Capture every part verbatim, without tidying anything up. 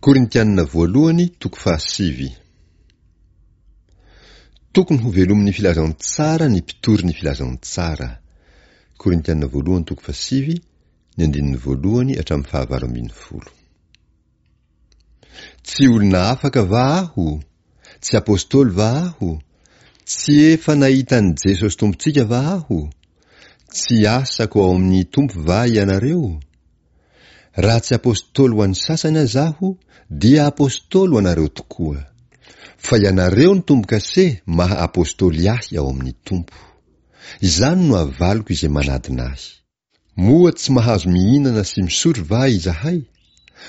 Korintianina voalohany toko fahasivy. Tokony ho velomin'ny filazantsara ny mpitory ny filazantsara. Korintianina voalohany toko fahasivy, ny andininy voalohany hatramin'ny fahavalo ambin'ny folo. Tsy olona afaka va aho? Tsy apostoly va aho? Tsy efa nahita an'i Jesosy Tompontsika va aho? Tsy asako ao amin'ny Tompo va ianareo? Raha tsy apostoly ho an'ny sasany aza aho, dia apostoly ho anareo tokoa. Fa ianareo no tombo-kase maha apostoly ahy ao amin'ny Tompo. Izany no avaliko izay manadina ahy. Moa tsy mahazo mihinana sy misotro va izahay?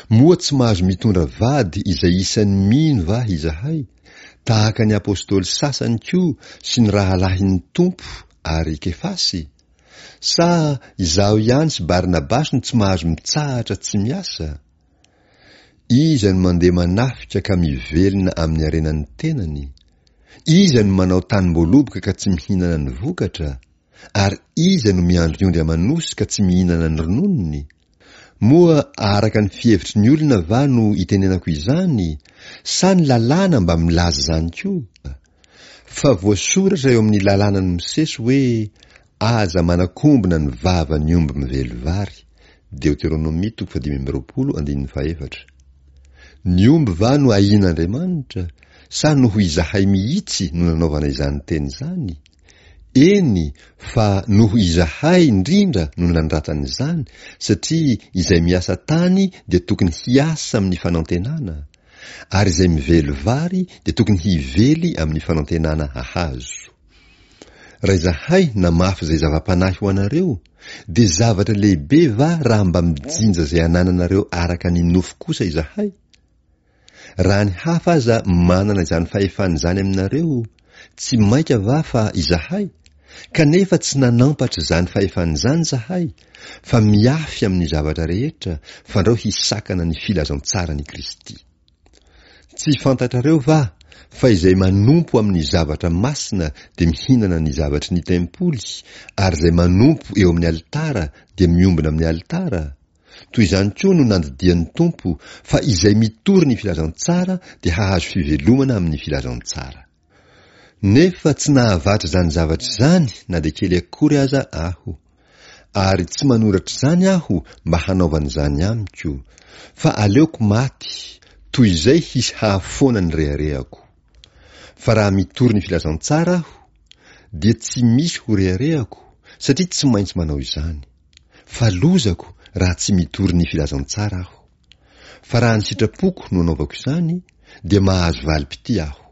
Moa tsy mahazo mitondra vady izay isan'ny mino va izahay, tahaka ny apostoly sasany koa sy ny rahalahin'ny Tompo ary Kefasy? Sa izaho ihany sy Barnabasy no tsy mahazo mitsahatra tsy miasa? Iza no mandeha manafika ka mivelona amin'ny harenan'ny tenany? Iza no manao tanim-boaloboka ka tsy mihinana ny vokatra? Ary iza no miandry ondry aman'osy ka tsy mihinana ny rononony? Moa araka ny fihevitry ny olona va no itenenako izany, sa ny lalàna mba milaza izany koa? Fa voasoratra eo amin'ny lalànan'i Mosesy hoe, Aza manakombona ny vavan'ny omby mively vary. Deoteronomia toko fahadimy amby roapolo andininy fahefatra. Ny omby va no ahian'Andriamanitra, sa noho izahay mihitsy no nanaovana izany teny izany? Eny, fa noho izahay indrindra no nandratana izany, satria izay miasa tany dia tokony hiasa amin'ny fanantenana, ary izay mively vary dia tokony hively amin'ny fanantenana hahazo. Raha izahay namafy izay zava-panahy ho anareo, dia zavatra lehibe va raha mba mijinja izay anananareo araka ny nofo kosa izahay? Raha ny hafa aza manana izany fahefana izany aminareo, tsy mainka va fa izahay? Kanefa tsy nanampatra izany fahefana izany izahay, fa miafy amin'ny zavatra rehetra, fandrao hisakana ny filazantsaran'i Kristy. Tsy fantatrareo va fa izay manompo amin'ny zavatra masina dia mihinana ny zavatry ny tempoly, ary izay manompo eo amin'ny alitara dia miombona amin'ny alitara? Toy izany koa no nandidian'ny Tompo fa izay mitory ny filazantsara dia hahazo fivelomana amin'ny filazantsara. Nefa tsy nahavatra izany zavatra izany na dia kely akory aza aho. Ary tsy manoratra izany aho mba hanaovana izany amiko, fa aleoko maty toy izay hisy hahafoana ny reharehako. Fa raha mitory ny filazantsara aho, dia tsy misy ho reharehako, satria tsy maintsy manao izany. Fa lozako raha tsy mitory ny filazantsara aho. Fa raha ny sitrapoko no anaovako izany, dia mahazo valim-pitia aho.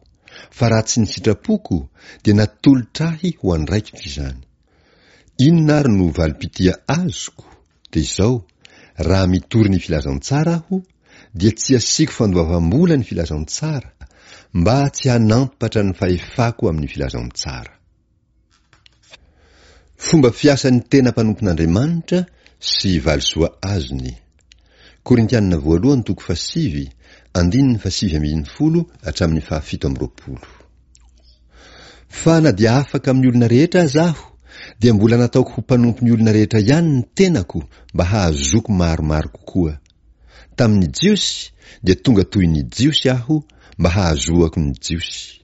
Fa raha tsy ny sitrapoko, dia natolotra ahy ho andraikitro izany. Inona ary no valim-pitia azoko? Dia izao, raha mitory ny filazantsara aho, dia tsy asiako fandoavam-bola ny filazantsara, mba tsy hanampatra ny fahefako amin'ny filazantsara. Fomba fiasan'ny tena mpanompon'Andriamanitra sy valisoa azony. Korintianina voalohany toko fahasivy, andininy fahasivy ambin'ny folo hatramin'ny fahafito amby roapolo. Fa na dia afaka amin'ny olona rehetra aza aho, dia mbola nataoko ho mpanompon'ny olona rehetra ihany ny tenako mba hahazoako maromaro kokoa. Tamin'ny Jiosy dia tonga toy ny Jiosy aho mba hahazoako ny Jiosy.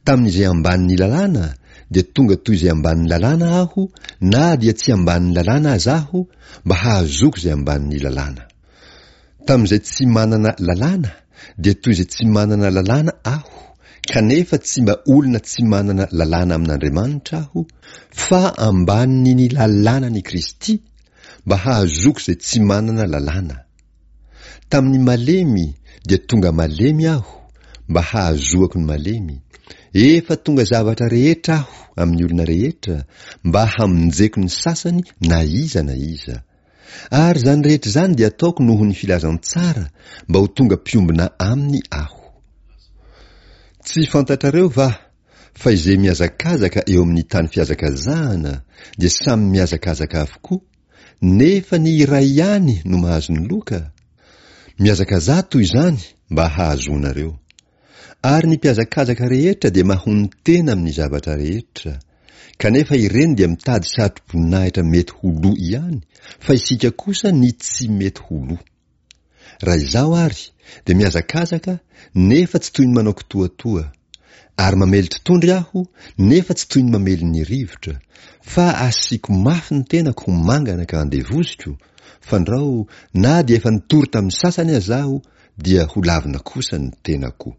Tamin'izay ambanin'ny lalàna dia tonga toy izay ambanin'ny lalàna aho na dia tsy ambanin'ny lalàna aza aho mba hahazoako izay ambanin'ny lalàna. Tamin'izay tsy manana lalàna dia toy izay tsy manana lalàna aho, kanefa tsy mba olona tsy manana lalàna amin'Andriamanitra aho, fa ambanin'ny lalànan'i Kristy, mba hahazoako izay tsy manana lalàna. Tamin'ny malemy dia tonga malemy aho, mba hahazoako ny malemy. Efa tonga zavatra rehetra aho amin'ny olona rehetra, mba hamonjeko ny sasany na iza na iza. Ary izany rehetra izany dia ataoko noho ny filazantsara, mba ho tonga mpiombona aminy aho. Tsy fantatrareo va fa izay mihazakazaka eo amin'ny tany fihazakazahana dia samy mihazakazaka avokoa, nefa ny iray ihany no mahazo ny loka? Mihazakazaha toy izany mba hahazoanareo. Ary ny mpihazakazaka rehetra dia mahonon-tena amin'ny zavatra rehetra, kanefa ireny dia mitady satroboninahitra mety ho lo ihany, fa isika kosa ny tsy mety ho lo. Raha izaho àry, dia mihazakazaka, nefa tsy toy ny manao kitoatoa. Ary mamely totohondry aho, nefa tsy toy ny mamely ny rivotra, fa asiako mafy ny tenako ho mangana ka andevoziko, fandrao na dia efa nitory tamin'ny sasany aza aho, dia holavina kosa ny tenako.